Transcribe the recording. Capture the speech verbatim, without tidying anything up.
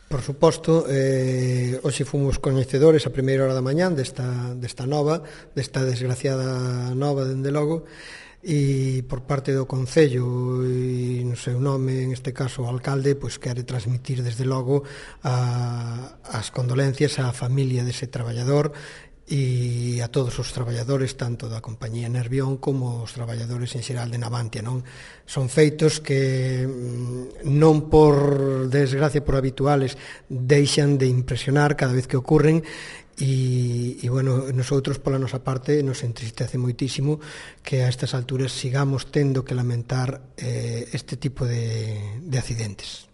Por suposto, eh, hoxe fomos coñecedores a primeira hora da mañán desta, desta nova, desta desgraciada nova, dende logo, e por parte do Concello e no seu nome, en este caso o alcalde, pois quere transmitir desde logo a, as condolencias á familia dese traballador e a todos os traballadores tanto da compañía Nervión como os traballadores en xeral de Navantia, non? Son feitos que non por desgracia, por habituales, deixan de impresionar cada vez que ocurren e, e bueno, nosotros pola nosa parte nos entristece moitísimo que a estas alturas sigamos tendo que lamentar eh, este tipo de, de accidentes.